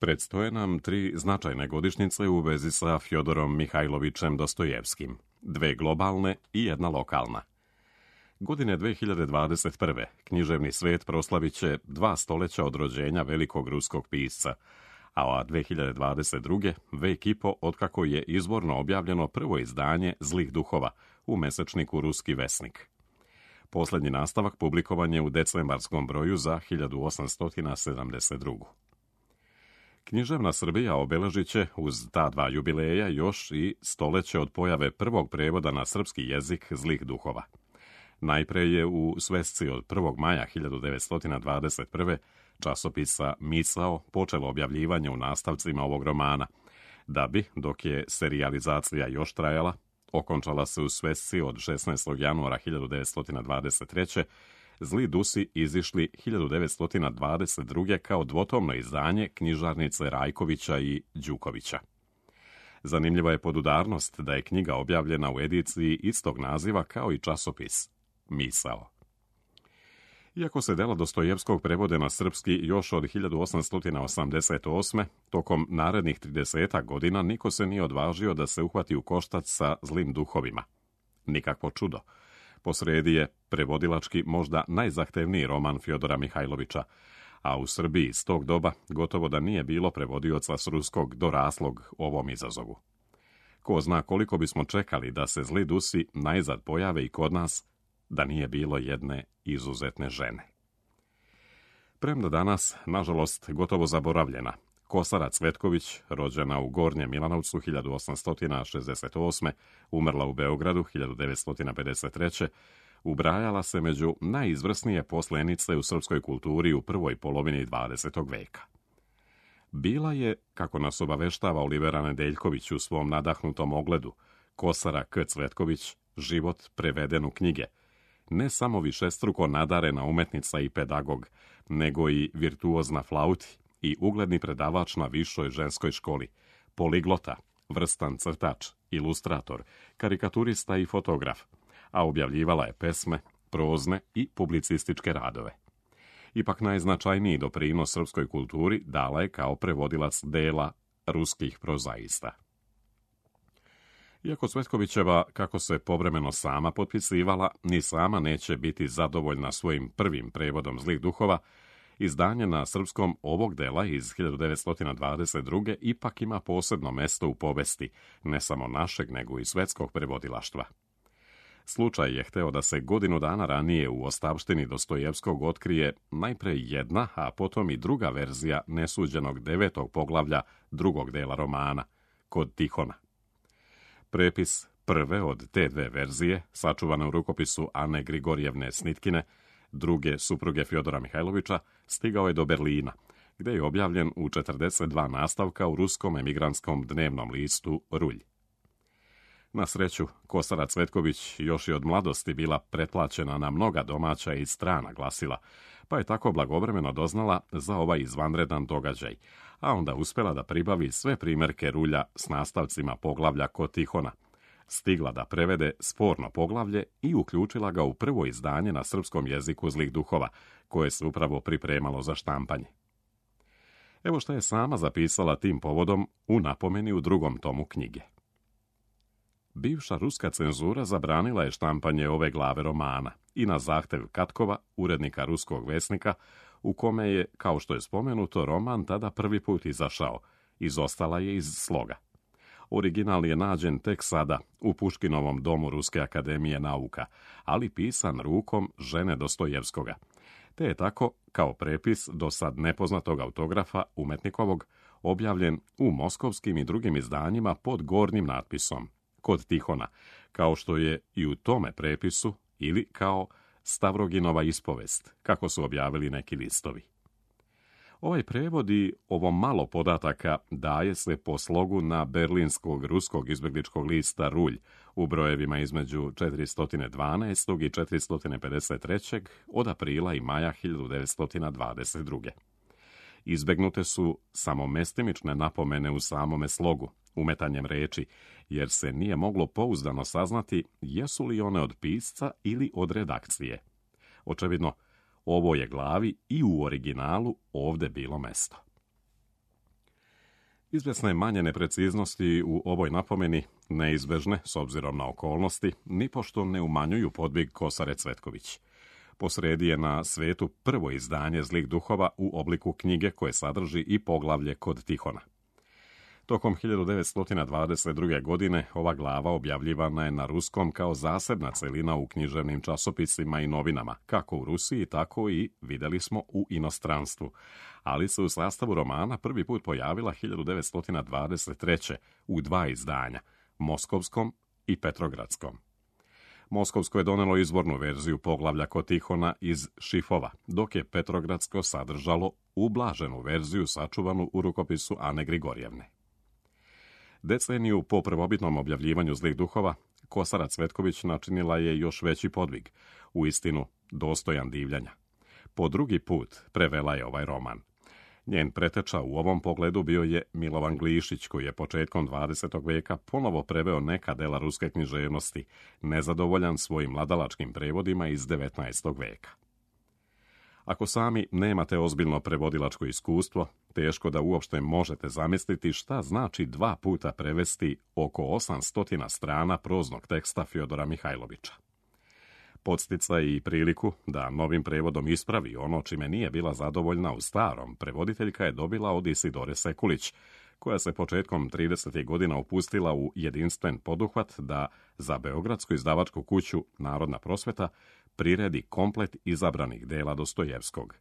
Predstoje nam 3 značajne godišnjice u vezi sa Fjodorom Mihajlovićem Dostojevskim, 2 globalne i 1 lokalna. Godine 2021. književni svijet proslavit će 2 stoljeća od rođenja velikog ruskog pisca, a 2022. vek i po otkako je izvorno objavljeno prvo izdanje Zlih duhova u mesečniku Ruski vesnik. Posljednji nastavak publikovan je u decembarskom broju za 1872. Književna Srbija obeležit će uz ta 2 jubileja još i stoljeće od pojave prvog prevoda na srpski jezik Zlih duhova. Najpre je u svesci od 1. maja 1921. časopisa Misao počelo objavljivanje u nastavcima ovog romana, da bi, dok je serijalizacija još trajala, okončala se u svesci od 16. januara 1923. Zli dusi izišli 1922. kao dvotomno izdanje knjižarnice Rajkovića i Đukovića. Zanimljiva je podudarnost da je knjiga objavljena u ediciji istog naziva kao i časopis Misao. Iako se dela Dostojevskog prevode na srpski još od 1888. tokom narednih 30 godina niko se nije odvažio da se uhvati u koštac sa Zlim duhovima. Nikakvo čudo. Posredi je prevodilački možda najzahtevniji roman Fjodora Mihajlovića, a u Srbiji s tog doba gotovo da nije bilo prevodioca s ruskog doraslog ovom izazovu. Ko zna koliko bismo čekali da se Zli dusi najzad pojave i kod nas, da nije bilo jedne izuzetne žene. Premda danas, nažalost, gotovo zaboravljena, Kosara Cvetković, rođena u Gornjem Milanovcu 1868. umrla u Beogradu 1953. ubrajala se među najizvrsnije poslenice u srpskoj kulturi u prvoj polovini 20. veka. Bila je, kako nas obaveštava Olivera Nedeljković u svom nadahnutom ogledu, Kosara K. Cvetković, život preveden u knjige, ne samo višestruko nadarena umetnica i pedagog, nego i virtuozna flauti i ugledni predavač na višoj ženskoj školi, poliglota, vrstan crtač, ilustrator, karikaturista i fotograf, a objavljivala je pesme, prozne i publicističke radove. Ipak najznačajniji doprinos srpskoj kulturi dala je kao prevodilac dela ruskih prozaista. Iako Cvetkovićeva, kako se povremeno sama potpisivala, ni sama neće biti zadovoljna svojim prvim prevodom Zlih duhova, izdanje na srpskom ovog dela iz 1922. ipak ima posebno mesto u povesti, ne samo našeg, nego i svetskog prevodilaštva. Slučaj je hteo da se godinu dana ranije u ostavštini Dostojevskog otkrije najpre jedna, a potom i druga verzija nesuđenog 9. poglavlja drugog dela romana, Kod Tihona. Prepis prve od te 2 verzije, sačuvane u rukopisu Ane Grigorjevne Snitkine, druge supruge Fjodora Mihajlovića, stigao je do Berlina, gde je objavljen u 42 nastavka u ruskom emigrantskom dnevnom listu Rulj. Na sreću, Kosara Cvetković još i od mladosti bila pretplaćena na mnoga domaća i strana glasila, pa je tako blagovremeno doznala za ovaj izvanredan događaj, a onda uspela da pribavi sve primerke Rulja s nastavcima poglavlja Kod Tihona, stigla da prevede sporno poglavlje i uključila ga u prvo izdanje na srpskom jeziku Zlih duhova, koje se upravo pripremalo za štampanje. Evo šta je sama zapisala tim povodom u napomeni u 2. tomu knjige. Bivša ruska cenzura zabranila je štampanje ove glave romana i na zahtev Katkova, urednika Ruskog vesnika, u kome je, kao što je spomenuto, roman tada prvi put izašao, izostala je iz sloga. Original je nađen tek sada u Puškinovom domu Ruske akademije nauka, ali pisan rukom žene Dostojevskoga, te je tako, kao prepis do sad nepoznatog autografa umetnikovog, objavljen u moskovskim i drugim izdanjima pod gornjim natpisom Kod Tihona, kao što je i u tome prepisu, ili kao Stavroginova ispovest, kako su objavili neki listovi. Ovaj prevod i ovo malo podataka daje se po slogu na berlinskog ruskog izbegličkog lista Rulj u brojevima između 412. i 453. od aprila i maja 1922. Izbegnute su samo mestimične napomene u samome slogu, umetanjem reči, jer se nije moglo pouzdano saznati jesu li one od pisca ili od redakcije. Očevidno, ovoj je glavi i u originalu ovde bilo mesto. Izvjesne manje nepreciznosti u ovoj napomeni, neizbežne s obzirom na okolnosti, nipošto ne umanjuju podvig Kosare Cvetković. Posredi je na svetu prvo izdanje Zlih duhova u obliku knjige koje sadrži i poglavlje Kod Tihona. Tokom 1922. godine ova glava objavljivana je na ruskom kao zasebna celina u književnim časopisima i novinama, kako u Rusiji, tako i, vidjeli smo, u inostranstvu, ali se u sastavu romana prvi put pojavila 1923. u dva izdanja, moskovskom i petrogradskom. Moskovsko je donelo izvornu verziju poglavlja Kod Tihona iz šifova, dok je petrogradsko sadržalo ublaženu verziju sačuvanu u rukopisu Ane Grigorjevne. Deceniju po prvobitnom objavljivanju Zlih duhova, Kosara Cvetković načinila je još veći podvig, uistinu dostojan divljanja. Po drugi put prevela je ovaj roman. Njen preteča u ovom pogledu bio je Milovan Glišić, koji je početkom 20. veka ponovo preveo neka dela ruske književnosti, nezadovoljan svojim mladalačkim prevodima iz 19. veka. Ako sami nemate ozbiljno prevodilačko iskustvo, teško da uopšte možete zamisliti šta znači dva puta prevesti oko 800 strana proznog teksta Fjodora Mihajlovića. Podsticaj i priliku da novim prevodom ispravi ono čime nije bila zadovoljna u starom, prevoditeljka je dobila od Isidore Sekulić, koja se početkom 30. godina upustila u jedinstven poduhvat da za beogradsku izdavačku kuću Narodna prosveta priredi komplet izabranih dela Dostojevskog.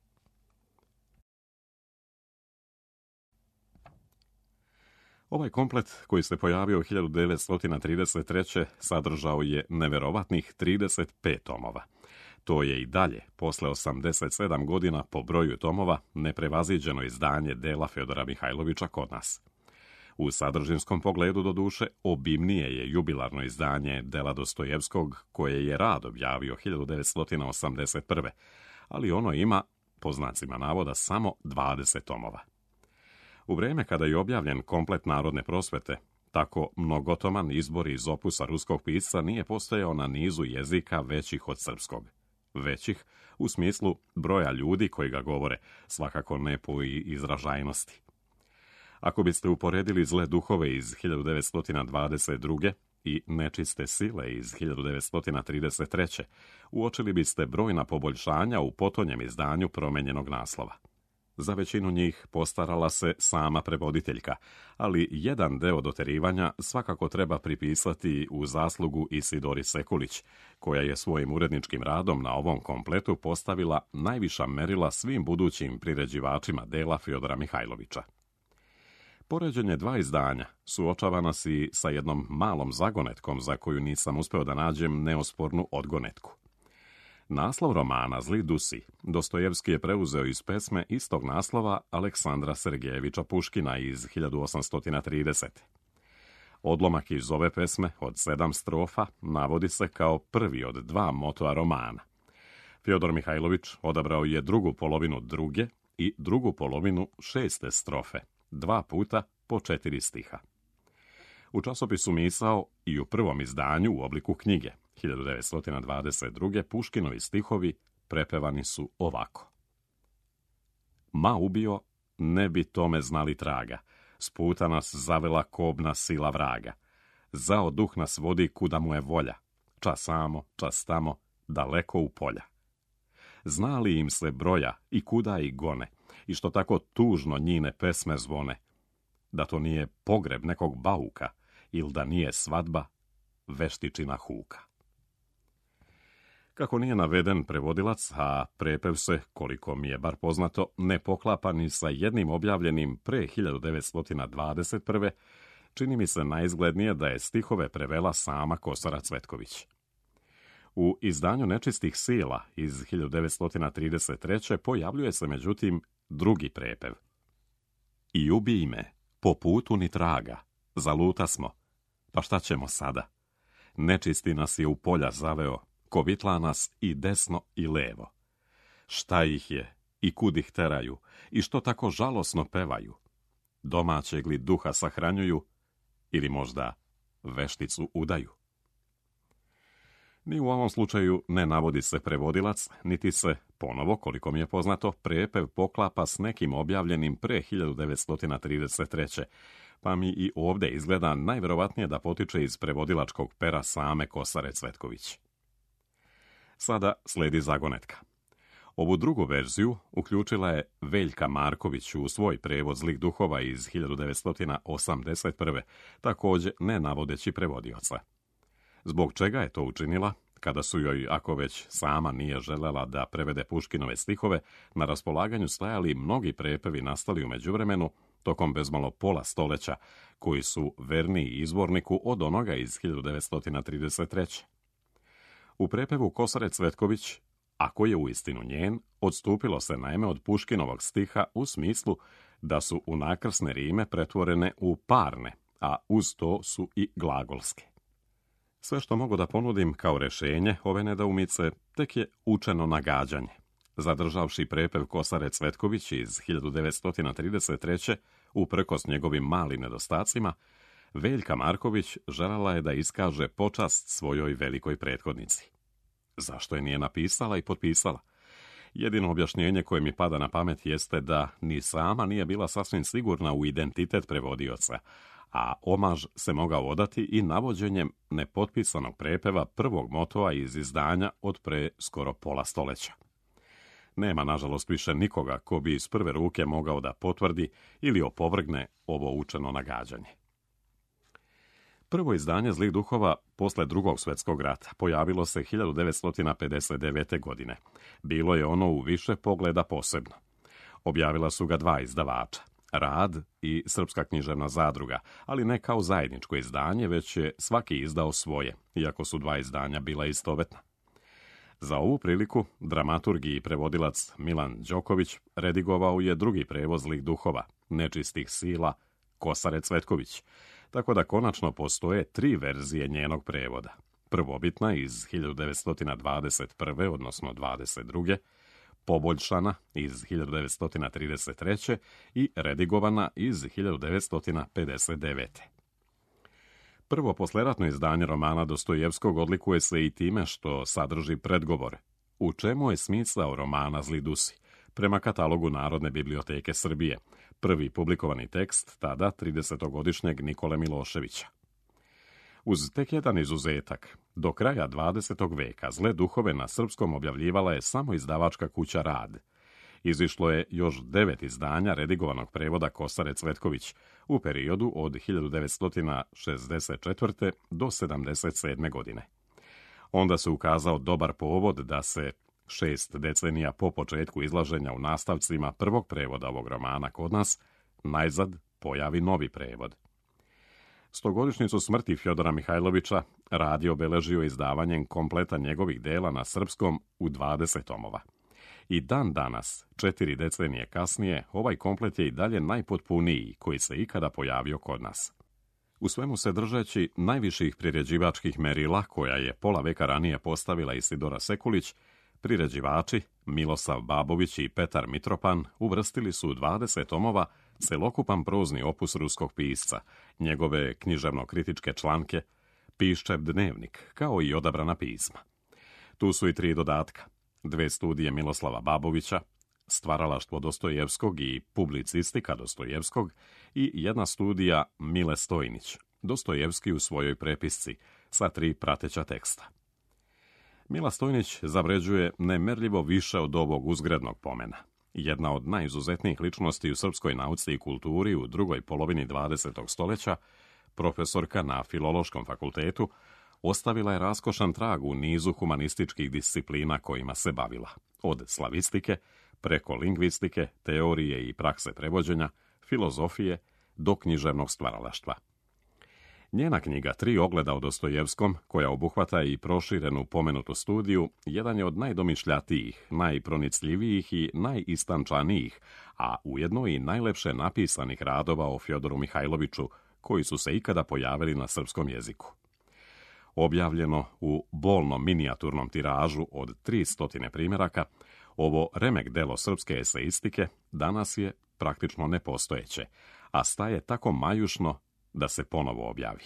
Ovaj komplet, koji se pojavio 1933. sadržao je neverovatnih 35 tomova. To je i dalje, posle 87 godina po broju tomova, neprevaziđeno izdanje dela Fjodora Mihajlovića kod nas. U sadržinskom pogledu, doduše, obimnije je jubilarno izdanje dela Dostojevskog, koje je rad objavio 1981. Ali ono ima, po znacima navoda, samo 20 tomova. U vrijeme kada je objavljen komplet Narodne prosvete, tako mnogotoman izbor iz opusa ruskog pisca nije postojao na nizu jezika većih od srpskog. Većih u smislu broja ljudi koji ga govore, svakako ne po izražajnosti. Ako biste uporedili Zle duhove iz 1922. i Nečiste sile iz 1933. uočili biste brojna poboljšanja u potonjem izdanju promenjenog naslova. Za većinu njih postarala se sama prevoditeljka, ali jedan deo doterivanja svakako treba pripisati u zaslugu Isidori Sekulić, koja je svojim uredničkim radom na ovom kompletu postavila najviša merila svim budućim priređivačima dela Fjodora Mihajlovića. Poređenje dva izdanja suočava nas i sa jednom malom zagonetkom za koju nisam uspeo da nađem neospornu odgonetku. Naslov romana Zli dusi Dostojevski je preuzeo iz pesme istog naslova Aleksandra Sergejevića Puškina iz 1830. Odlomak iz ove pesme od 7 strofa navodi se kao prvi od dva motoa romana. Fjodor Mihajlović odabrao je drugu polovinu druge i drugu polovinu 6. strofe, 2 puta po 4 stiha. U časopisu Misao i u prvom izdanju u obliku knjige 1922. Puškinovi stihovi prepevani su ovako. Ma ubio, ne bi tome znali traga, s puta nas zavela kobna sila vraga. Zao duh nas vodi kuda mu je volja, čas samo, čas tamo, daleko u polja. Zna li im se broja i kuda i gone, i što tako tužno njine pesme zvone, da to nije pogreb nekog bauka, ili da nije svadba veštičina huka. Kako nije naveden prevodilac, a prepev se, koliko mi je bar poznato, ne poklapa ni sa jednim objavljenim pre 1921. čini mi se najizglednije da je stihove prevela sama Kosara Cvetković. U izdanju Nečistih sila iz 1933. pojavljuje se međutim drugi prepev. I ubij me, po putu ni traga, zaluta smo, pa šta ćemo sada? Nečisti nas je u polja zaveo, kovitla nas i desno i levo. Šta ih je i kud ih teraju i što tako žalosno pevaju? Domaćeg li duha sahranjuju ili možda vešticu udaju? Ni u ovom slučaju ne navodi se prevodilac, niti se, ponovo, koliko mi je poznato, prepev poklapa s nekim objavljenim pre 1933. Pa mi i ovdje izgleda najverovatnije da potiče iz prevodilačkog pera same Kosare Cvetković. Sada sledi zagonetka. Ovu drugu verziju uključila je Veljka Marković u svoj prevod Zlih duhova iz 1981. također ne navodeći prevodioca. Zbog čega je to učinila, kada su joj, ako već sama nije želela da prevede Puškinove stihove, na raspolaganju stajali mnogi prepevi nastali u međuvremenu, tokom bezmalo pola stoljeća, koji su verniji izvorniku od onoga iz 1933. U prepevu Kosare Cvetković, ako je uistinu njen, odstupilo se naime od Puškinovog stiha u smislu da su unakrsne rime pretvorene u parne, a uz to su i glagolske. Sve što mogu da ponudim kao rješenje ove nedoumice tek je učeno nagađanje. Zadržavši prepev Kosare Cvetković iz 1933. uprkos njegovim malim nedostacima, Veljka Marković željela je da iskaže počast svojoj velikoj prethodnici. Zašto je nije napisala i potpisala? Jedino objašnjenje koje mi pada na pamet jeste da ni sama nije bila sasvim sigurna u identitet prevodioca, a omaž se mogao odati i navođenjem nepotpisanog prepeva prvog motoa iz izdanja od pre skoro pola stoljeća. Nema, nažalost, više nikoga ko bi iz prve ruke mogao da potvrdi ili opovrgne ovo učeno nagađanje. Prvo izdanje Zlih duhova posle Drugog svjetskog rata pojavilo se 1959. godine. Bilo je ono u više pogleda posebno. Objavila su ga dva izdavača, Rad i Srpska književna zadruga, ali ne kao zajedničko izdanje, već je svaki izdao svoje, iako su dva izdanja bila istovetna. Za ovu priliku dramaturg i prevodilac Milan Đoković redigovao je drugi prevod Zlih duhova, Nečistih sila, Kosare Cvetković, tako da konačno postoje tri verzije njenog prevoda. Prvobitna iz 1921. odnosno 22. poboljšana iz 1933. i redigovana iz 1959. Prvo posleratno izdanje romana Dostojevskog odlikuje se i time što sadrži predgovor. U čemu je smisao romana Zli dusi? Prema katalogu Narodne biblioteke Srbije, prvi publikovani tekst tada 30-godišnjeg Nikole Miloševića. Uz tek jedan izuzetak, do kraja 20. veka Zle duhove na srpskom objavljivala je samo izdavačka kuća Rad. Izišlo je još 9 izdanja redigovanog prevoda Kosare Cvetković u periodu od 1964. do 1977. godine. Onda se ukazao dobar povod da se 6 decenija po početku izlaženja u nastavcima prvog prevoda ovog romana kod nas, najzad pojavi novi prevod. Stogodišnjicu smrti Fjodora Mihajlovića Rad je obeležio izdavanjem kompleta njegovih dela na srpskom u 20 tomova. I dan danas, 4 decenije kasnije, ovaj komplet je i dalje najpotpuniji koji se ikada pojavio kod nas. U svemu se držeći najviših priređivačkih merila koja je pola veka ranije postavila Isidora Sekulić, priređivači Milosav Babović i Petar Mitropan uvrstili su u 20 tomova celokupan prozni opus ruskog pisca, njegove književno-kritičke članke, Piščev dnevnik, kao i odabrana pisma. Tu su i 3 dodatka, 2 studije Miloslava Babovića, Stvaralaštvo Dostojevskog i Publicistika Dostojevskog i 1 studija Mile Stojnić, Dostojevski u svojoj prepisci, sa 3 prateća teksta. Mila Stojnić zavređuje nemerljivo više od ovog uzgrednog pomena. Jedna od najizuzetnijih ličnosti u srpskoj nauci i kulturi u drugoj polovini 20. stoljeća, profesorka na Filološkom fakultetu, ostavila je raskošan trag u nizu humanističkih disciplina kojima se bavila, od slavistike, preko lingvistike, teorije i prakse prevođenja, filozofije do književnog stvaralaštva. Njena knjiga 3 ogleda o Dostojevskom, koja obuhvata i proširenu pomenutu studiju, jedan je od najdomišljatijih, najpronicljivijih i najistančanijih, a ujedno i najlepše napisanih radova o Fjodoru Mihajloviću, koji su se ikada pojavili na srpskom jeziku. Objavljeno u bolnom minijaturnom tiražu od 300 primjeraka, ovo remek delo srpske eseistike danas je praktično nepostojeće, a staje tako majušno da se ponovo objavi.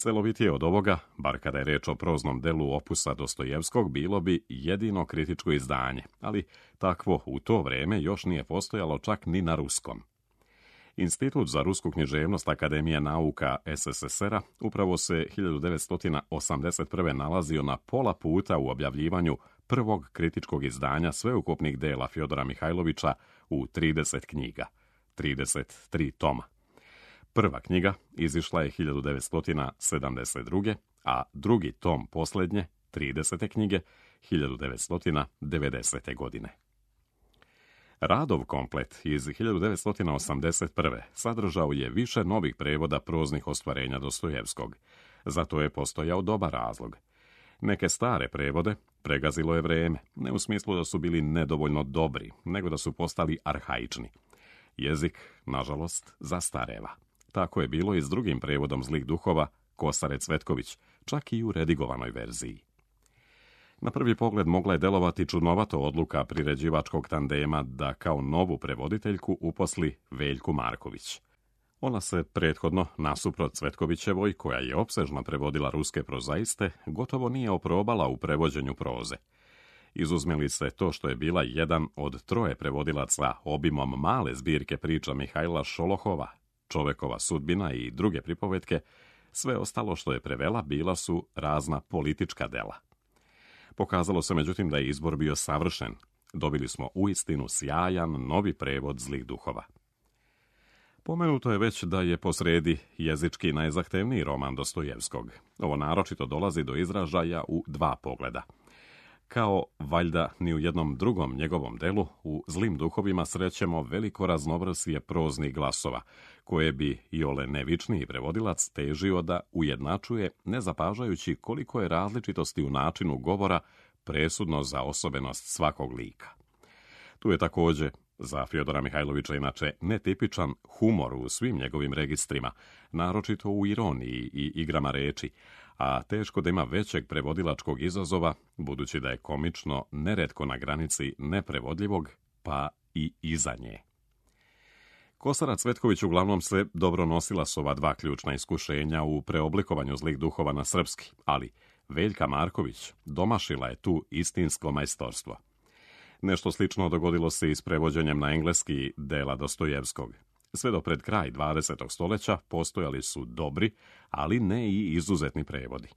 Celovitije od ovoga, bar kada je reč o proznom delu opusa Dostojevskog, bilo bi jedino kritičko izdanje, ali takvo u to vrijeme još nije postojalo čak ni na ruskom. Institut za rusku književnost Akademije nauka SSSR-a upravo se 1981. nalazio na pola puta u objavljivanju prvog kritičkog izdanja sveukupnih dela Fjodora Mihajlovića u 30 knjiga, 33 toma. Prva knjiga izišla je 1972. a drugi tom posljednje, 30. knjige, 1990. godine. Radov komplet iz 1981. sadržao je više novih prevoda proznih ostvarenja Dostojevskog. Zato je postojao dobar razlog. Neke stare prevode pregazilo je vrijeme, ne u smislu da su bili nedovoljno dobri, nego da su postali arhaični. Jezik, nažalost, zastareva. Tako je bilo i s drugim prevodom Zlih duhova Kosare Cvetković, čak i u redigovanoj verziji. Na prvi pogled mogla je delovati čudnovato odluka priređivačkog tandema da kao novu prevoditeljku uposli Veljku Marković. Ona se prethodno, nasuprot Cvetkovićevoj, koja je opsežno prevodila ruske prozaiste, gotovo nije oprobala u prevođenju proze. Izuzmeli se to što je bila jedan od troje prevodilaca obimom male zbirke priča Mihajla Šolohova, Čovekova sudbina i druge pripovetke, sve ostalo što je prevela bila su razna politička dela. Pokazalo se međutim da je izbor bio savršen. Dobili smo uistinu sjajan novi prevod Zlih duhova. Pomenuto je već da je posredi jezički najzahtevniji roman Dostojevskog. Ovo naročito dolazi do izražaja u dva pogleda. Kao valjda ni u jednom drugom njegovom delu, u Zlim duhovima srećemo veliko raznovrsje proznih glasova, koje bi iole nevičniji prevodilac težio da ujednačuje, ne zapažajući koliko je različitosti u načinu govora presudno za osobenost svakog lika. Tu je također za Fjodora Mihajlovića inače netipičan humor u svim njegovim registrima, naročito u ironiji i igrama reči, a teško da ima većeg prevodilačkog izazova, budući da je komično neretko na granici neprevodljivog, pa i iza nje. Kosara Cvetković uglavnom se dobro nosila s ova dva ključna iskušenja u preoblikovanju Zlih duhova na srpski, ali Veljka Marković domašila je tu istinsko majstorstvo. Nešto slično dogodilo se i s prevođenjem na engleski dela Dostojevskog. Sve do pred kraj 20. stoljeća postojali su dobri, ali ne i izuzetni prevodi.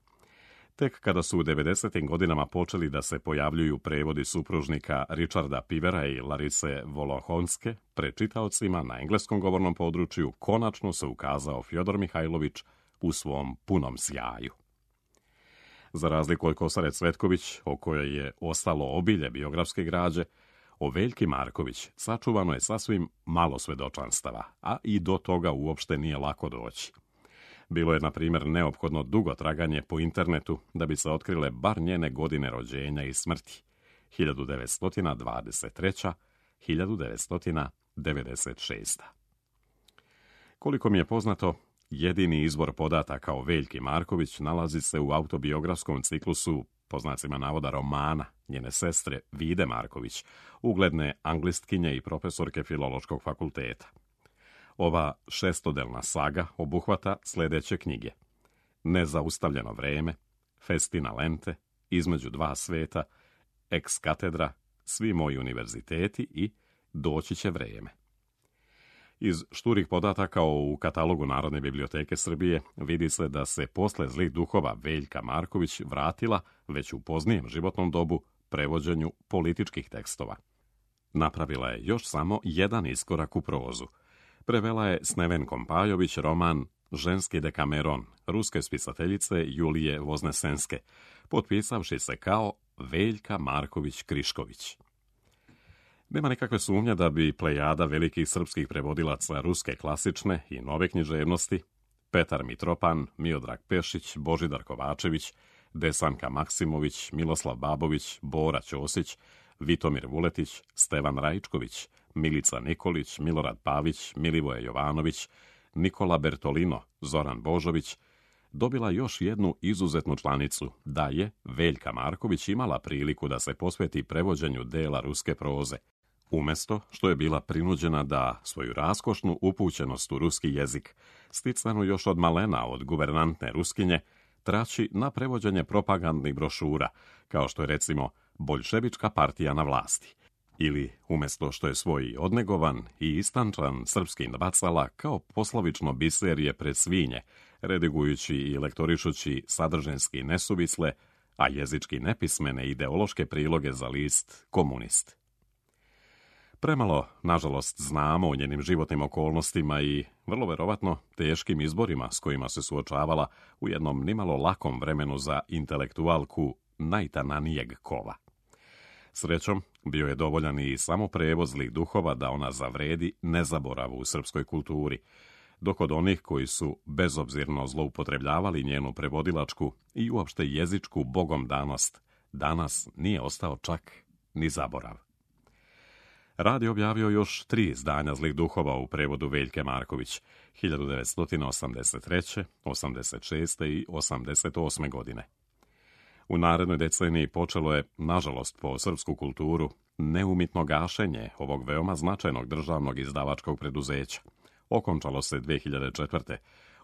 Tek kada su u 90. godinama počeli da se pojavljuju prevodi supružnika Richarda Pivera i Larise Volohonske pred čitaocima na engleskom govornom području, konačno se ukazao Fjodor Mihajlović u svom punom sjaju. Za razliku od Kosare Cvetković, o kojoj je ostalo obilje biografske građe, o Veljki Marković sačuvano je sasvim malo svedočanstava, a i do toga uopšte nije lako doći. Bilo je, na primjer, neophodno dugo traganje po internetu da bi se otkrile bar njene godine rođenja i smrti, 1923. 1996. Koliko mi je poznato, jedini izvor podataka o Veljki Marković nalazi se u autobiografskom ciklusu, po znacima navoda, romana njene sestre Vide Marković, ugledne anglistkinje i profesorke Filološkog fakulteta. Ova šestodelna saga obuhvata sljedeće knjige: Nezaustavljeno vreme, Festina lente, Između dva sveta, Ex katedra, Svi moji univerziteti i Doći će vreme. Iz šturih podataka u katalogu Narodne biblioteke Srbije vidi se da se posle Zlih duhova Veljka Marković vratila već u poznijem životnom dobu prevođenju političkih tekstova. Napravila je još samo jedan iskorak u prozu. Prevela je s Nevenkom Pajović roman Ženski dekameron ruske spisateljice Julije Voznesenske, potpisavši se kao Veljka Marković Krišković. Nema nikakve sumnje da bi plejada velikih srpskih prevodilaca ruske klasične i nove književnosti, Petar Mitropan, Miodrag Pešić, Božidar Kovačević, Desanka Maksimović, Miloslav Babović, Bora Ćosić, Vitomir Vuletić, Stevan Rajčković, Milica Nikolić, Milorad Pavić, Milivoje Jovanović, Nikola Bertolino, Zoran Božović, dobila još jednu izuzetnu članicu, da je Veljka Marković imala priliku da se posveti prevođenju dela ruske proze, Umjesto što je bila prinuđena da svoju raskošnu upućenost u ruski jezik, sticanu još od malena od guvernantne Ruskinje, trači na prevođenje propagandnih brošura, kao što je recimo Boljševička partija na vlasti, ili umjesto što je svoj odnegovan i istančan srpski bacala kao poslovično biserije pred svinje, redigujući i lektorišući sadržinski nesuvisle, a jezički nepismene ideološke priloge za list Komunist. Premalo, nažalost, znamo o njenim životnim okolnostima i, vrlo verovatno, teškim izborima s kojima se suočavala u jednom nimalo lakom vremenu za intelektualku najtananijeg kova. Srećom, bio je dovoljan i samo prevoz zlih duhova da ona zavredi nezaboravu u srpskoj kulturi, dok od onih koji su bezobzirno zloupotrebljavali njenu prevodilačku i uopšte jezičku bogomdanost, danas nije ostao čak ni zaborav. Rad je objavio još 3 izdanja zlih duhova u prevodu Veljke Marković, 1983., 86. i 88. godine. U narednoj deceniji počelo je, nažalost po srpsku kulturu, neumitno gašenje ovog veoma značajnog državnog izdavačkog preduzeća. Okončalo se 2004.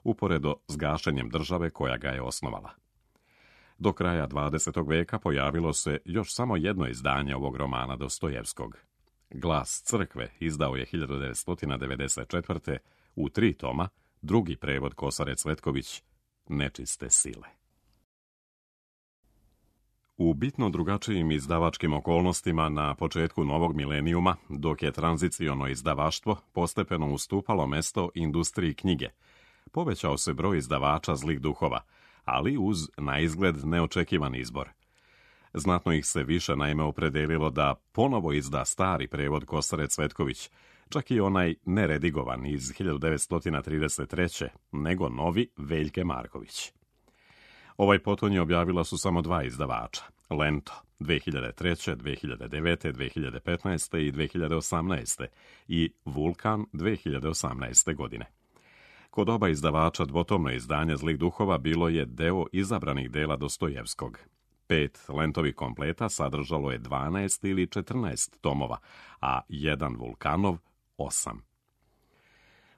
uporedo s gašenjem države koja ga je osnovala. Do kraja 20. veka pojavilo se još samo jedno izdanje ovog romana Dostojevskog. Glas crkve izdao je 1994. u 3 toma drugi prevod Kosare Cvetković, Nečiste sile. U bitno drugačijim izdavačkim okolnostima na početku novog milenijuma, dok je tranziciono izdavaštvo postepeno ustupalo mesto industriji knjige, povećao se broj izdavača zlih duhova, ali uz naizgled neočekivan izbor. Znatno ih se više naime opredelilo da ponovo izda stari prevod Kosare Cvetković, čak i onaj neredigovan iz 1933. nego novi Veljke Marković. Ovaj potonji objavila su samo 2 izdavača, Lento 2003., 2009., 2015. i 2018. i Vulkan 2018. godine. Kod oba izdavača dvotomno izdanje zlih duhova bilo je deo izabranih dela Dostojevskog. 5 Lentovih kompleta sadržalo je 12 ili 14 tomova, a 1 Vulkanov 8.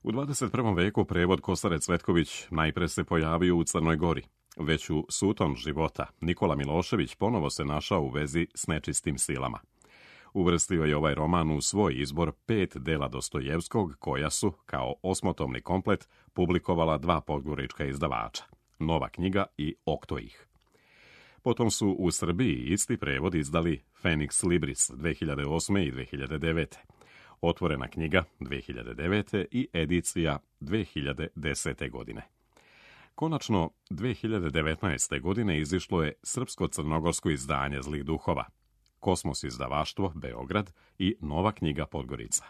U 21. veku prevod Kosare Cvetković najpre se pojavio u Crnoj Gori. Već u Suton života Nikola Milošević ponovo se našao u vezi s nečistim silama. Uvrstio je ovaj roman u svoj izbor 5 dela Dostojevskog koja su, kao osmotomni komplet, publikovala 2 podgorička izdavača, Nova knjiga i Oktoih. Potom su u Srbiji isti prevod izdali Phoenix Libris 2008. i 2009. Otvorena knjiga 2009. i edicija 2010. godine. Konačno, 2019. godine izišlo je srpsko-crnogorsko izdanje zlih duhova, Kosmos izdavaštvo, Beograd i Nova knjiga Podgorica.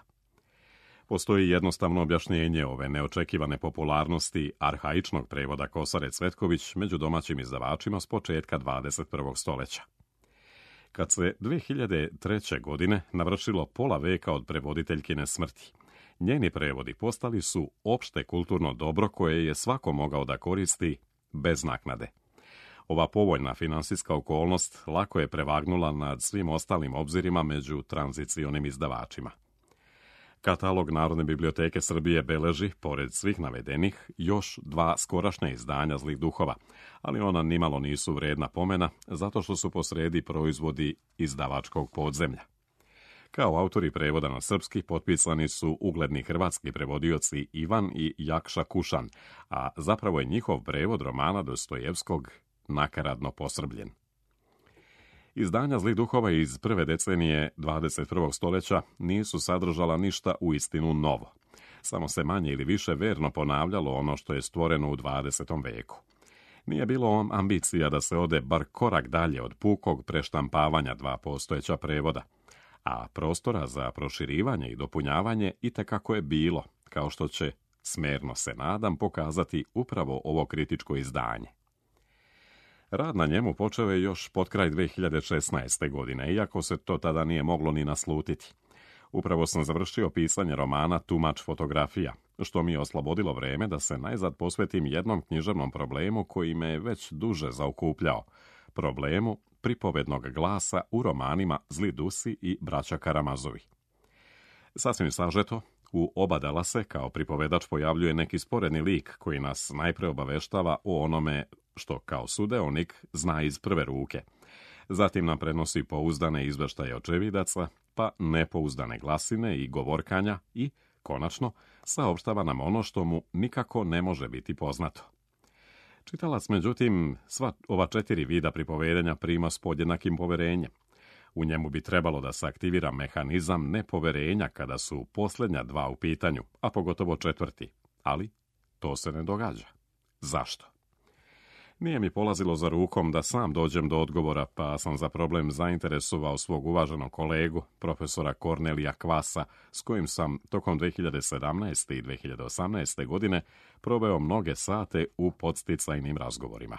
Postoji jednostavno objašnjenje ove neočekivane popularnosti arhaičnog prevoda Kosare Cvetković među domaćim izdavačima s početka 21. stoljeća. Kad se 2003. godine navršilo pola veka od prevoditeljkine smrti, njeni prevodi postali su opšte kulturno dobro koje je svako mogao da koristi bez naknade. Ova povoljna finansijska okolnost lako je prevagnula nad svim ostalim obzirima među tranzicionim izdavačima. Katalog Narodne biblioteke Srbije beleži, pored svih navedenih, još 2 skorašnja izdanja zlih duhova, ali ona nimalo nisu vredna pomena zato što su posredi proizvodi izdavačkog podzemlja. Kao autori prevoda na srpski potpisani su ugledni hrvatski prevodioci Ivan i Jakša Kušan, a zapravo je njihov prevod romana Dostojevskog nakaradno posrbljen. Izdanja zlih duhova iz prve decenije 21. stoljeća nisu sadržala ništa uistinu novo. Samo se manje ili više verno ponavljalo ono što je stvoreno u 20. veku. Nije bilo ambicija da se ode bar korak dalje od pukog preštampavanja 2 postojeća prevoda, a prostora za proširivanje i dopunjavanje itekako je bilo, kao što će, smerno se nadam, pokazati upravo ovo kritičko izdanje. Rad na njemu počeo je još potkraj 2016. godine, iako se to tada nije moglo ni naslutiti. Upravo sam završio pisanje romana Tumač fotografija, što mi je oslobodilo vreme da se najzad posvetim jednom književnom problemu koji me je već duže zaokupljao, problemu pripovednog glasa u romanima Zli Dusi i Braća Karamazovi. Sasvim sažeto, u oba dela se kao pripovedač pojavljuje neki sporedni lik koji nas najpre obaveštava o onome što kao sudeonik zna iz prve ruke. Zatim nam prenosi pouzdane izveštaje očevidaca, pa nepouzdane glasine i govorkanja i, konačno, saopštava nam ono što mu nikako ne može biti poznato. Čitalac, međutim, sva ova 4 vida pripovedanja prima s podjednakim poverenjem. U njemu bi trebalo da se aktivira mehanizam nepoverenja kada su posljednja 2 u pitanju, a pogotovo 4. Ali to se ne događa. Zašto? Nije mi polazilo za rukom da sam dođem do odgovora, pa sam za problem zainteresovao svog uvaženog kolegu, profesora Kornelija Kvasa, s kojim sam tokom 2017. i 2018. godine proveo mnoge sate u podsticajnim razgovorima.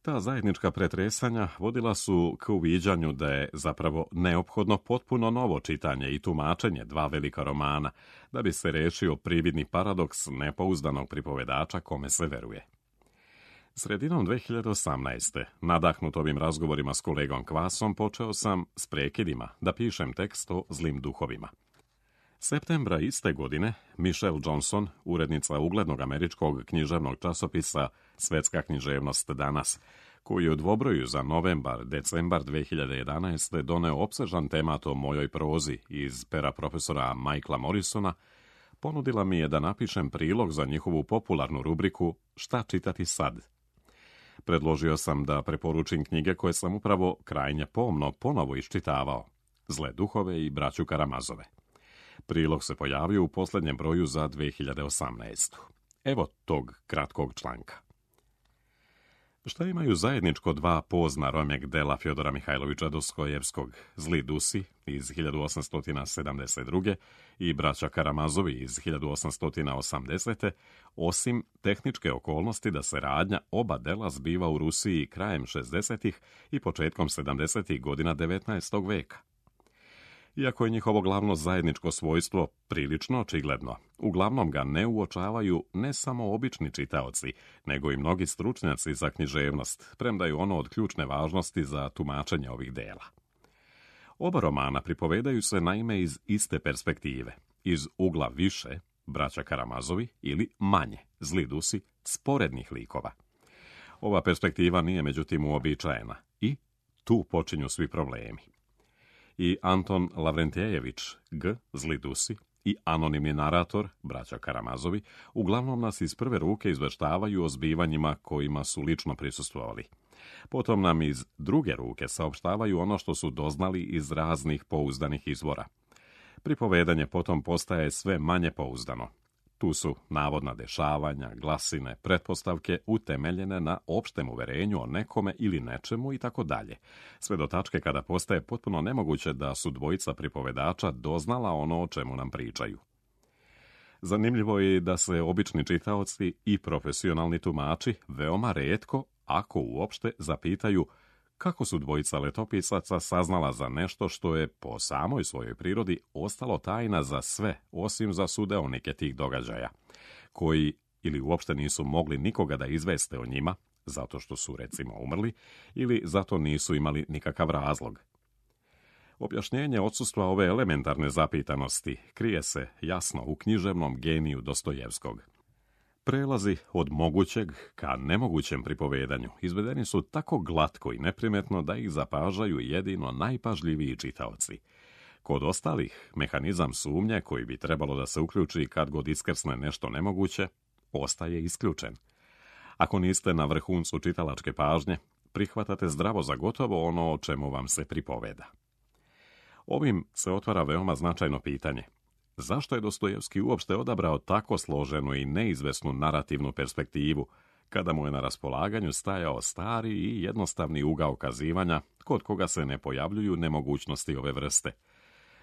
Ta zajednička pretresanja vodila su k uviđanju da je zapravo neophodno potpuno novo čitanje i tumačenje 2 velika romana, da bi se rešio prividni paradoks nepouzdanog pripovedača kome se veruje. Sredinom 2018. nadahnut ovim razgovorima s kolegom Kvasom, počeo sam s prekidima da pišem tekst o zlim duhovima. Septembra iste godine Michelle Johnson, urednica uglednog američkog književnog časopisa Svetska književnost danas, koji je u dvobroju za novembar-decembar 2011. doneo opsežan temat o mojoj prozi iz pera profesora Michaela Morrisona, ponudila mi je da napišem prilog za njihovu popularnu rubriku Šta čitati sad? Predložio sam da preporučim knjige koje sam upravo krajnje pomno ponovo iščitavao, Zle duhove i Braću Karamazove. Prilog se pojavio u posljednjem broju za 2018. Evo tog kratkog članka. Šta imaju zajedničko 2 pozna romjeg dela Fjodora Mihajlovića Dostojevskog, Zli dusi iz 1872. i Braća Karamazovi iz 1880. osim tehničke okolnosti da se radnja oba dela zbiva u Rusiji krajem 60. i početkom 70. godina 19. veka? Iako je njihovo glavno zajedničko svojstvo prilično očigledno, uglavnom ga ne uočavaju ne samo obični čitaoci, nego i mnogi stručnjaci za književnost, premda je ono od ključne važnosti za tumačenje ovih dela. Oba romana pripovedaju se naime iz iste perspektive, iz ugla više, Braća Karamazovi, ili manje, Zli dusi, sporednih likova. Ova perspektiva nije međutim uobičajena i tu počinju svi problemi. I Anton Lavrentijević, G. Zli dusi, i anonimni narator, Braća Karamazovi, uglavnom nas iz prve ruke izveštavaju o zbivanjima kojima su lično prisustvovali. Potom nam iz druge ruke saopštavaju ono što su doznali iz raznih pouzdanih izvora. Pripovedanje potom postaje sve manje pouzdano. Tu su navodna dešavanja, glasine, pretpostavke utemeljene na opštem uverenju o nekome ili nečemu i tako dalje. Sve do tačke kada postaje potpuno nemoguće da su dvojica pripovedača doznala ono o čemu nam pričaju. Zanimljivo je da se obični čitaoci i profesionalni tumači veoma retko, ako uopšte, zapitaju kako su dvojica letopisaca saznala za nešto što je po samoj svojoj prirodi ostalo tajna za sve, osim za sudeonike tih događaja, koji ili uopšte nisu mogli nikoga da izveste o njima, zato što su recimo umrli, ili zato nisu imali nikakav razlog. Objašnjenje odsustva ove elementarne zapitanosti krije se jasno u književnom geniju Dostojevskog. Prelazi od mogućeg ka nemogućem pripovedanju izvedeni su tako glatko i neprimetno da ih zapažaju jedino najpažljiviji čitaoci. Kod ostalih, mehanizam sumnje koji bi trebalo da se uključi kad god iskrsne nešto nemoguće, ostaje isključen. Ako niste na vrhuncu čitalačke pažnje, prihvatate zdravo za gotovo ono o čemu vam se pripoveda. Ovim se otvara veoma značajno pitanje. Zašto je Dostojevski uopšte odabrao tako složenu i neizvesnu narativnu perspektivu, kada mu je na raspolaganju stajao stari i jednostavni ugao kazivanja, kod koga se ne pojavljuju nemogućnosti ove vrste?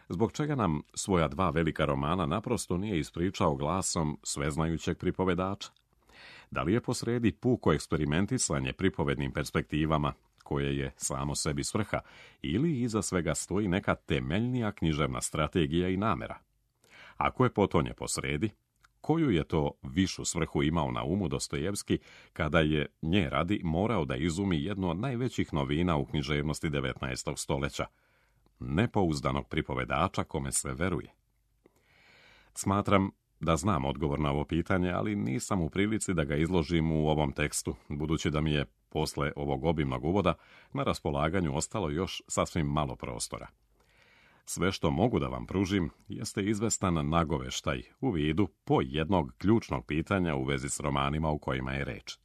Zbog čega nam svoja 2 velika romana naprosto nije ispričao glasom sveznajućeg pripovedača? Da li je posredi puko eksperimentisanje pripovednim perspektivama, koje je samo sebi svrha, ili iza svega stoji neka temeljnija književna strategija i namera? Ako je potonje posredi, koju je to višu svrhu imao na umu Dostojevski kada je nje radi morao da izumi jednu od najvećih novina u književnosti 19. stoljeća, nepouzdanog pripovedača kome se veruje? Smatram da znam odgovor na ovo pitanje, ali nisam u prilici da ga izložim u ovom tekstu, budući da mi je posle ovog obimnog uvoda na raspolaganju ostalo još sasvim malo prostora. Sve što mogu da vam pružim jeste izvestan nagoveštaj u vidu po jednog ključnog pitanja u vezi s romanima u kojima je reč.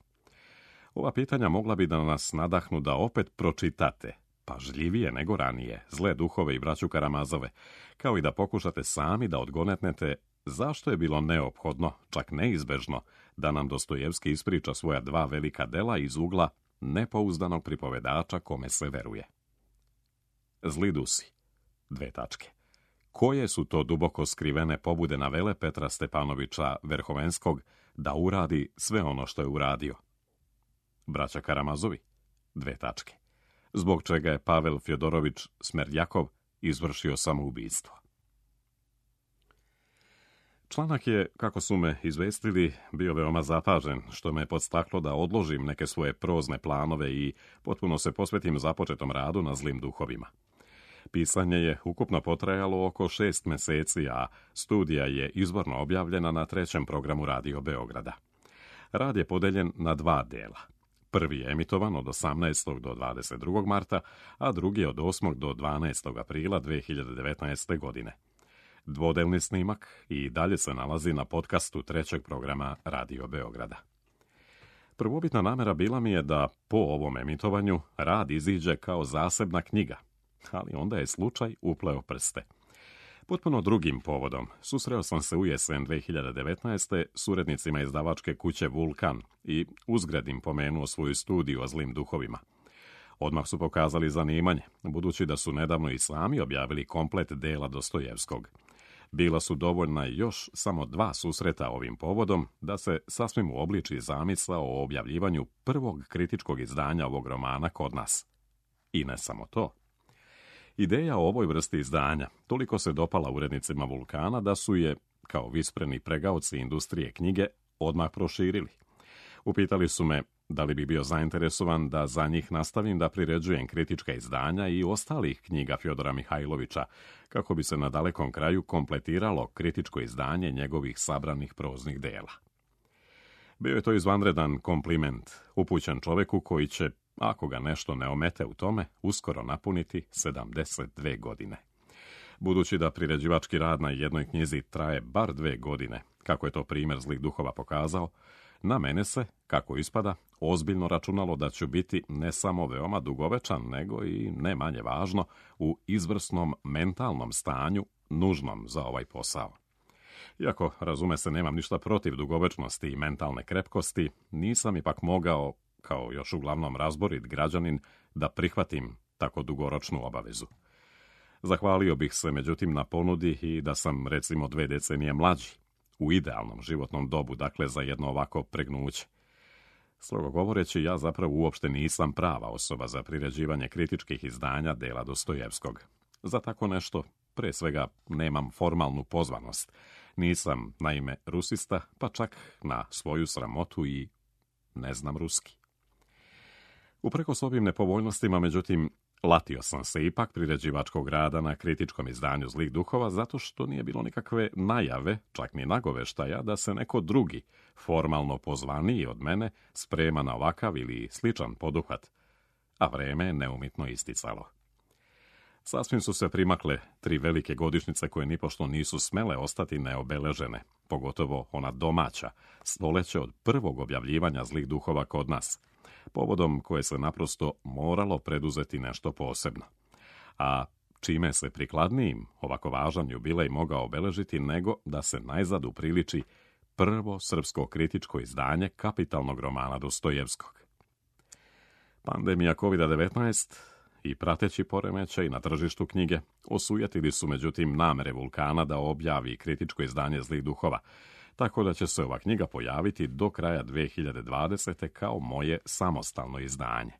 Ova pitanja mogla bi da nas nadahnu da opet pročitate, pažljivije nego ranije, Zle duhove i braću Karamazove, kao i da pokušate sami da odgonetnete zašto je bilo neophodno, čak neizbežno, da nam Dostojevski ispriča svoja dva velika dela iz ugla nepouzdanog pripovedača kome se veruje. Zli dusi. Koje su to duboko skrivene pobude navele Petra Stepanovića Verhovenskog da uradi sve ono što je uradio? Braća Karamazovi. Zbog čega je Pavel Fjodorović Smerdjakov izvršio samoubistvo? Članak je, kako su me izvestili, bio veoma zapažen, što me podstaklo da odložim neke svoje prozne planove i potpuno se posvetim započetom radu na Zlim duhovima. Pisanje je ukupno potrajalo oko 6 meseci, a studija je izvorno objavljena na 3. programu Radio Beograda. Rad je podeljen na 2 dela. Prvi je emitovan od 18. do 22. marta, a drugi od 8. do 12. aprila 2019. godine. Dvodelni snimak i dalje se nalazi na podcastu 3. programa Radio Beograda. Prvobitna namera bila mi je da po ovom emitovanju rad iziđe kao zasebna knjiga, ali onda je slučaj upleo prste. Potpuno drugim povodom susreo sam se u jesen 2019. s urednicima izdavačke kuće Vulkan i uzgred im pomenuo svoju studiju o Zlim duhovima. Odmah su pokazali zanimanje, budući da su nedavno i sami objavili komplet dela Dostojevskog. Bila su dovoljna još samo 2 susreta ovim povodom da se sasvim uobliči zamisao o objavljivanju prvog kritičkog izdanja ovog romana kod nas. I ne samo to. Ideja o ovoj vrsti izdanja toliko se dopala urednicima Vulkana da su je, kao vispreni pregaoci industrije knjige, odmah proširili. Upitali su me da li bi bio zainteresovan da za njih nastavim da priređujem kritička izdanja i ostalih knjiga Fjodora Mihajlovića, kako bi se na dalekom kraju kompletiralo kritičko izdanje njegovih sabranih proznih dela. Bio je to izvanredan kompliment, upućen čoveku koji će, ako ga nešto ne omete u tome, uskoro napuniti 72 godine. Budući da priređivački rad na jednoj knjizi traje bar 2 godine, kako je to primjer Zlih duhova pokazao, na mene se, kako ispada, ozbiljno računalo da ću biti ne samo veoma dugovečan, nego i, ne manje važno, u izvrsnom mentalnom stanju nužnom za ovaj posao. Iako, razume se, nemam ništa protiv dugovečnosti i mentalne krepkosti, nisam ipak mogao, kao još uglavnom razborit građanin, da prihvatim tako dugoročnu obavezu. Zahvalio bih se, međutim, na ponudi i da sam, recimo, 2 decenije mlađi, u idealnom životnom dobu, dakle za jedno ovako pregnuće. Strogo govoreći, ja zapravo uopšte nisam prava osoba za priređivanje kritičkih izdanja dela Dostojevskog. Za tako nešto, pre svega, nemam formalnu pozvanost. Nisam, naime, rusista, pa čak na svoju sramotu i ne znam ruski. Uprkos ovim nepovoljnostima, međutim, latio sam se ipak priređivačkog rada na kritičkom izdanju Zlih duhova zato što nije bilo nikakve najave, čak ni nagoveštaja, da se neko drugi, formalno pozvaniji od mene, sprema na ovakav ili sličan poduhvat, a vreme je neumitno isticalo. Sasvim su se primakle 3 velike godišnjice koje nipošto nisu smele ostati neobeležene, pogotovo ona domaća, stoleće od prvog objavljivanja Zlih duhova kod nas, povodom koje se naprosto moralo preduzeti nešto posebno. A čime se prikladnijim ovako važan jubilej mogao obeležiti nego da se najzad upriliči prvo srpsko kritičko izdanje kapitalnog romana Dostojevskog. Pandemija COVID-19 i prateći poremećaj na tržištu knjige osujetili su međutim namere Vulkana da objavi kritičko izdanje Zlih duhova, tako da će se ova knjiga pojaviti do kraja 2020. kao moje samostalno izdanje.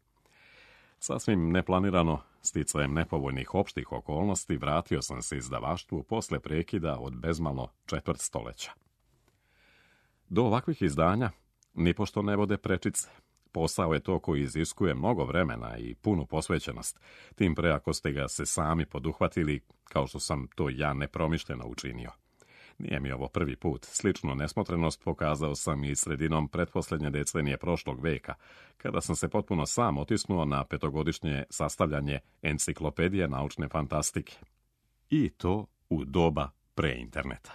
Sasvim neplanirano, sticajem nepovoljnih opštih okolnosti, vratio sam se izdavaštvu posle prekida od bezmalo 4 stoljeća. Do ovakvih izdanja nipošto ne vode prečice. Posao je to koji iziskuje mnogo vremena i punu posvećenost, tim pre ako ste ga se sami poduhvatili, kao što sam to ja nepromišljeno učinio. Nije mi ovo prvi put. Sličnu nesmotrenost pokazao sam i sredinom pretposljednje decenije prošlog veka, kada sam se potpuno sam otisnuo na 5-godišnje sastavljanje enciklopedije naučne fantastike. I to u doba preinterneta.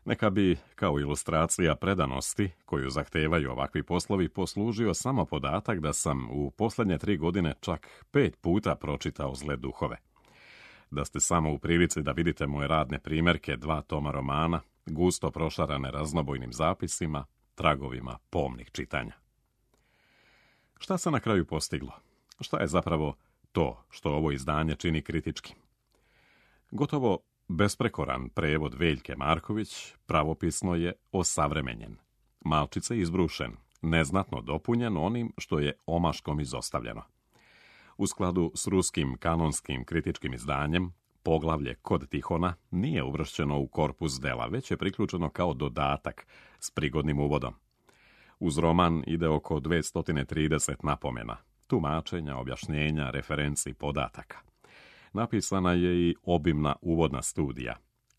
Neka bi, kao ilustracija predanosti koju zahtevaju ovakvi poslovi, poslužio samo podatak da sam u posljednje 3 godine čak 5 puta pročitao Zle duhove. Da ste samo u prilici da vidite moje radne primjerke 2 toma romana, gusto prošarane raznobojnim zapisima, tragovima pomnih čitanja. Šta se na kraju postiglo? Šta je zapravo to što ovo izdanje čini kritičkim? Gotovo besprekoran prevod Veljke Marković pravopisno je osavremenjen, malčice izbrušen, neznatno dopunjen onim što je omaškom izostavljeno. U skladu s ruskim kanonskim kritičkim izdanjem, poglavlje Kod Tihona nije uvršćeno u korpus dela, već je priključeno kao dodatak s prigodnim uvodom. Uz roman ide oko 230 napomena, tumačenja, objašnjenja, referenci, podataka. Napisana je i obimna uvodna studija,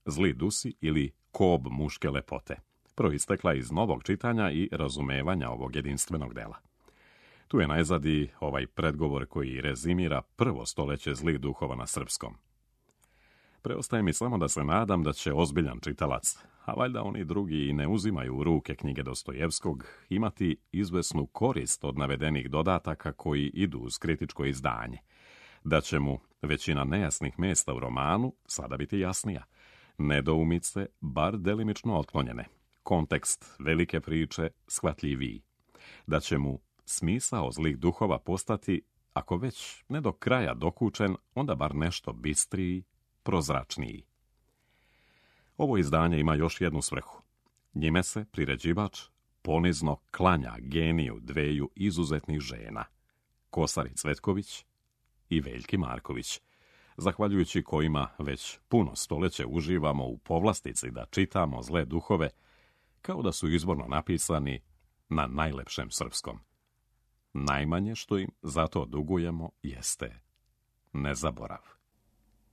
Zli dusi ili Kob muške lepote, proistekla iz novog čitanja i razumevanja ovog jedinstvenog dela. Tu je najzad i ovaj predgovor koji rezimira prvo stoljeće zlih duhova na srpskom. Preostaje mi samo da se nadam da će ozbiljan čitalac, a valjda oni drugi i ne uzimaju u ruke knjige Dostojevskog, imati izvesnu korist od navedenih dodataka koji idu uz kritičko izdanje, da će mu većina nejasnih mjesta u romanu sada biti jasnija, nedoumice bar delimično otklonjene, kontekst velike priče shvatljiviji, da će mu smisao zlih duhova postati, ako već ne do kraja dokučen, onda bar nešto bistriji, prozračniji. Ovo izdanje ima još jednu svrhu. Njime se priređivač ponizno klanja geniju dveju izuzetnih žena, Kosari Cvetković i Veljki Marković, zahvaljujući kojima već puno stoljeće uživamo u povlastici da čitamo Zle duhove, kao da su izborno napisani na najlepšem srpskom. Najmanje što im zato dugujemo jeste nezaborav.